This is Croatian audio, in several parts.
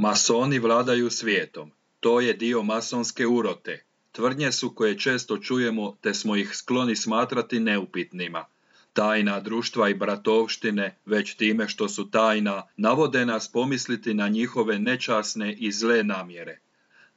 Masoni vladaju svijetom. To je dio masonske urote. Tvrdnje su koje često čujemo te smo ih skloni smatrati neupitnima. Tajna društva i bratovštine, već time što su tajna, navode nas pomisliti na njihove nečasne i zle namjere.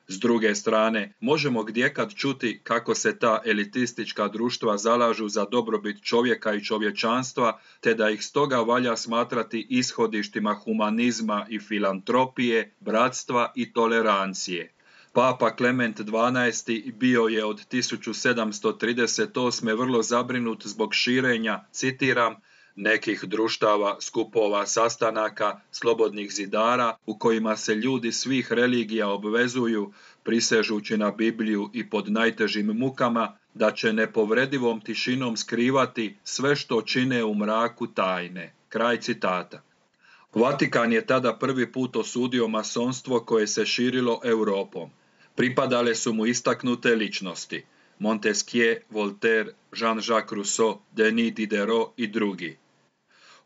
S druge strane, možemo gdjekad čuti kako se ta elitistička društva zalažu za dobrobit čovjeka i čovječanstva, te da ih stoga valja smatrati ishodištima humanizma i filantropije, bratstva i tolerancije. Papa Klement XII bio je od 1738. vrlo zabrinut zbog širenja, citiram, nekih društava, skupova, sastanaka, slobodnih zidara u kojima se ljudi svih religija obvezuju, prisežući na Bibliju i pod najtežim mukama, da će nepovredivom tišinom skrivati sve što čine u mraku tajne. Kraj citata. Vatikan je tada prvi put osudio masonstvo koje se širilo Europom. Pripadale su mu istaknute ličnosti: Montesquieu, Voltaire, Jean-Jacques Rousseau, Denis Diderot i drugi.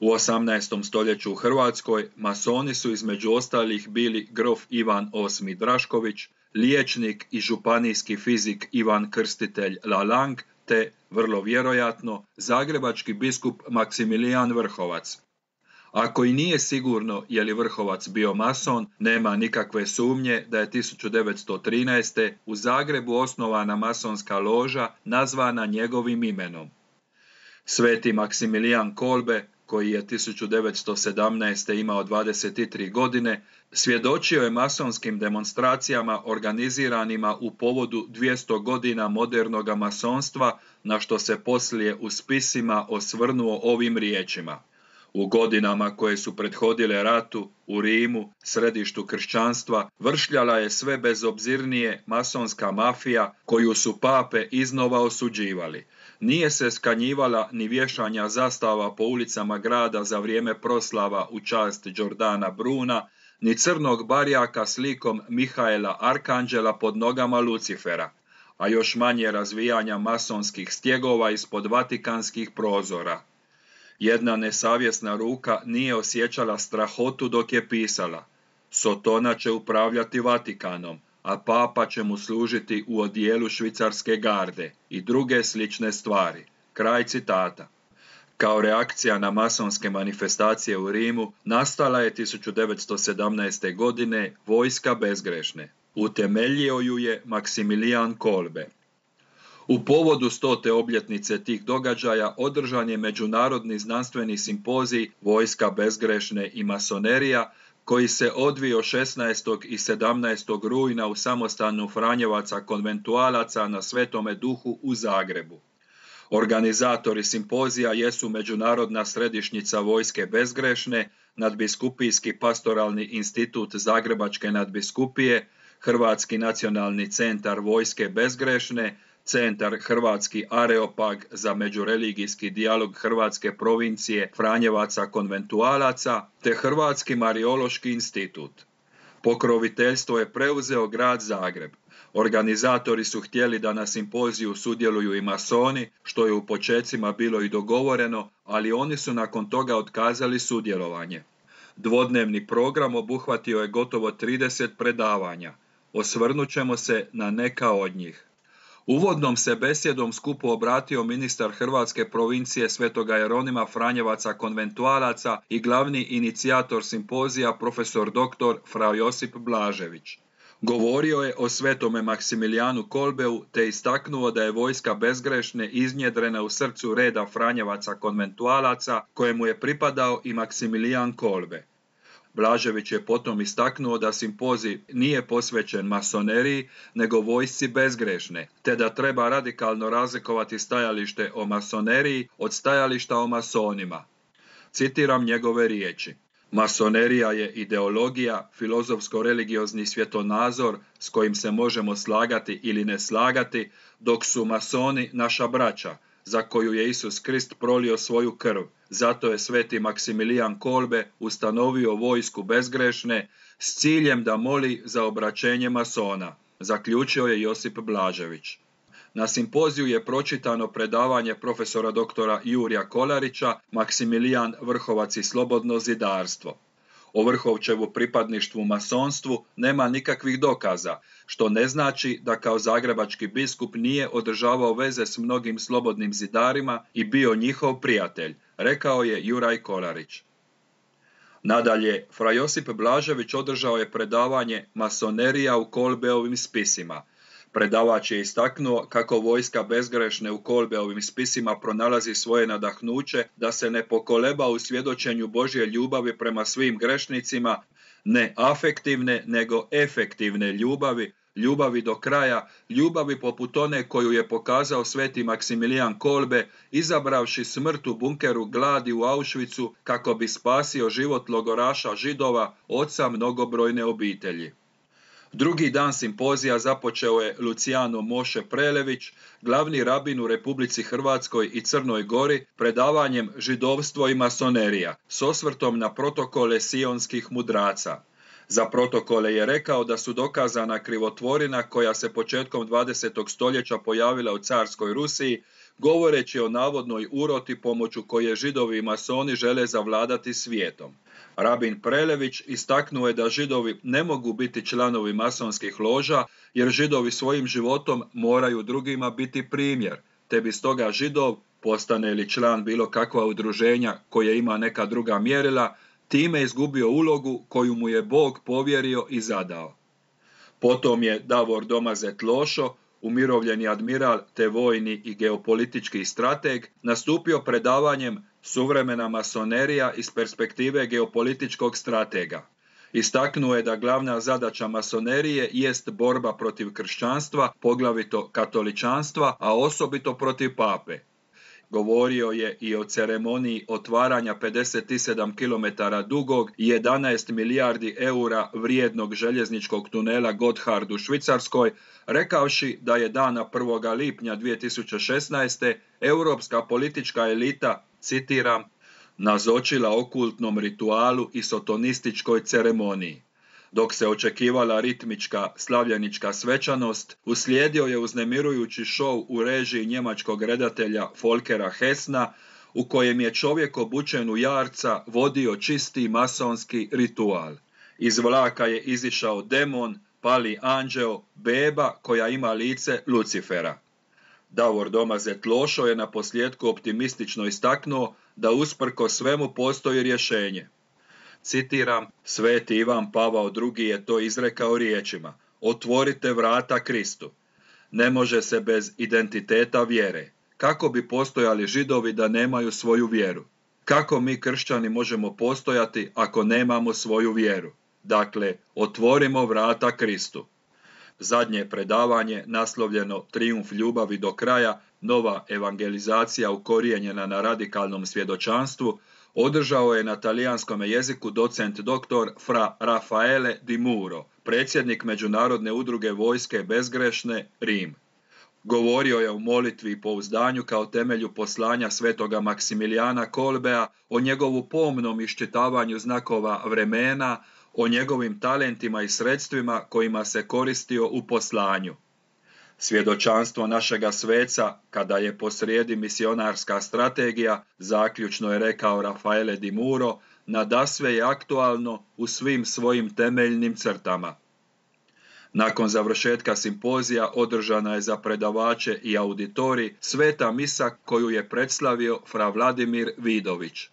U 18. stoljeću u Hrvatskoj masoni su između ostalih bili grof Ivan VIII Drašković, liječnik i županijski fizik Ivan Krstitelj Lalang, te, vrlo vjerojatno, zagrebački biskup Maksimilijan Vrhovac. Ako i nije sigurno je li Vrhovac bio mason, nema nikakve sumnje da je 1913. u Zagrebu osnovana masonska loža nazvana njegovim imenom. Sveti Maksimilijan Kolbe, koji je 1917. imao 23 godine, svjedočio je masonskim demonstracijama organiziranima u povodu 200 godina modernoga masonstva, na što se poslije u spisima osvrnuo ovim riječima: u godinama koje su prethodile ratu, u Rimu, središtu kršćanstva, vršljala je sve bezobzirnije masonska mafija koju su pape iznova osuđivali. Nije se skanjivala ni vješanja zastava po ulicama grada za vrijeme proslava u čast Đordana Bruna, ni crnog barjaka s likom Mihaela Arkanđela pod nogama Lucifera, a još manje razvijanja masonskih stjegova ispod vatikanskih prozora. Jedna nesavjesna ruka nije osjećala strahotu dok je pisala: Sotona će upravljati Vatikanom, a papa će mu služiti u odijelu švicarske garde i druge slične stvari. Kraj citata. Kao reakcija na masonske manifestacije u Rimu nastala je 1917. godine Vojska bezgrešne. Utemeljio ju je Maksimilijan Kolbe. U povodu 100. obljetnice tih događaja održan je međunarodni znanstveni simpozij Vojska bezgrešne i masonerija, koji se odvio 16. i 17. rujna u samostanu Franjevaca konventualaca na Svetome Duhu u Zagrebu. Organizatori simpozija jesu Međunarodna središnjica Vojske bezgrešne, Nadbiskupijski pastoralni institut Zagrebačke nadbiskupije, Hrvatski nacionalni centar Vojske bezgrešne, Centar Hrvatski Areopag za međureligijski dijalog Hrvatske provincije Franjevaca konventualaca, te Hrvatski Mariološki institut. Pokroviteljstvo je preuzeo grad Zagreb. Organizatori su htjeli da na simpoziju sudjeluju i masoni, što je u počecima bilo i dogovoreno, ali oni su nakon toga otkazali sudjelovanje. Dvodnevni program obuhvatio je gotovo 30 predavanja. Osvrnut ćemo se na neka od njih. Uvodnom se besjedom skupu obratio ministar Hrvatske provincije Svetoga Jeronima Franjevaca konventualaca i glavni inicijator simpozija profesor dr. Fra Josip Blažević. Govorio je o svetome Maksimilijanu Kolbeu te istaknuo da je Vojska bezgrešne iznjedrena u srcu reda Franjevaca konventualaca kojemu je pripadao i Maksimilijan Kolbe. Blažević je potom istaknuo da simpozij nije posvećen masoneriji, nego vojsci bezgrešne, te da treba radikalno razlikovati stajalište o masoneriji od stajališta o masonima. Citiram njegove riječi: Masonerija je ideologija, filozofsko-religiozni svjetonazor s kojim se možemo slagati ili ne slagati, dok su masoni naša braća, za koju je Isus Krist prolio svoju krv. Zato je sveti Maksimilijan Kolbe ustanovio Vojsku bezgrešne s ciljem da moli za obraćenje masona, zaključio je Josip Blažević. Na simpoziju je pročitano predavanje profesora doktora Jurija Kolarića Maksimilijan Vrhovac i slobodno zidarstvo. O Vrhovčevu pripadništvu masonstvu nema nikakvih dokaza, što ne znači da kao zagrebački biskup nije održavao veze s mnogim slobodnim zidarima i bio njihov prijatelj, rekao je Juraj Kolarić. Nadalje, fra Josip Blažević održao je predavanje Masonerija u Kolbeovim spisima. Predavač je istaknuo kako vojska bezgrešne u Kolbeovim spisima pronalazi svoje nadahnuće da se ne pokoleba u svjedočenju Božje ljubavi prema svim grešnicima, ne afektivne nego efektivne ljubavi, ljubavi do kraja, ljubavi poput one koju je pokazao sveti Maksimilijan Kolbe, izabravši smrt u bunkeru gladi u Auschwitzu kako bi spasio život logoraša Židova, oca mnogobrojne obitelji. Drugi dan simpozija započeo je Luciano Moše Prelević, glavni rabin u Republici Hrvatskoj i Crnoj Gori, predavanjem Židovstvo i masonerija, s osvrtom na protokole sionskih mudraca. Za protokole je rekao da su dokazana krivotvorina koja se početkom 20. stoljeća pojavila u carskoj Rusiji, govoreći o navodnoj uroti pomoću koje Židovi i masoni žele zavladati svijetom. Rabin Prelević istaknuo je da Židovi ne mogu biti članovi masonskih loža, jer Židovi svojim životom moraju drugima biti primjer, te bi stoga Židov, postane li član bilo kakva udruženja koje ima neka druga mjerila, time izgubio ulogu koju mu je Bog povjerio i zadao. Potom je Davor Domazet Lošo, umirovljeni admiral te vojni i geopolitički strateg, nastupio predavanjem Suvremena masonerija iz perspektive geopolitičkog stratega. Istaknuo je da glavna zadaća masonerije jest borba protiv kršćanstva, poglavito katoličanstva, a osobito protiv pape. Govorio je i o ceremoniji otvaranja 57 km dugog i 11 milijardi eura vrijednog željezničkog tunela Gotthard u Švicarskoj, rekavši da je dana 1. lipnja 2016. europska politička elita, citiram, nazočila okultnom ritualu i sotonističkoj ceremoniji. Dok se očekivala ritmička slavljenička svečanost, uslijedio je uznemirujući šou u režiji njemačkog redatelja Folkera Hessna, u kojem je čovjek obučen u jarca vodio čisti masonski ritual. Iz vlaka je izišao demon, pali anđeo, beba koja ima lice Lucifera. Davor Domazet Lošo je na posljedku optimistično istaknuo da usprkos svemu postoji rješenje. Citiram, sveti Ivan Pavao II je to izrekao riječima: otvorite vrata Kristu. Ne može se bez identiteta vjere. Kako bi postojali Židovi da nemaju svoju vjeru? Kako mi kršćani možemo postojati ako nemamo svoju vjeru? Dakle, otvorimo vrata Kristu. Zadnje predavanje, naslovljeno Trijumf ljubavi do kraja, nova evangelizacija ukorijenjena na radikalnom svjedočanstvu, održao je na talijanskom jeziku docent dr. fra Raffaele Di Muro, predsjednik Međunarodne udruge vojske bezgrešne, Rim. Govorio je o molitvi i pouzdanju kao temelju poslanja svetoga Maksimilijana Kolbea, o njegovu pomnom iščitavanju znakova vremena, o njegovim talentima i sredstvima kojima se koristio u poslanju. Svjedočanstvo našega sveca, kada je posrijedi misionarska strategija, zaključno je rekao Raffaele Di Muro, nadasve je aktualno u svim svojim temeljnim crtama. Nakon završetka simpozija održana je za predavače i auditori sveta misa koju je predslavio fra Vladimir Vidović.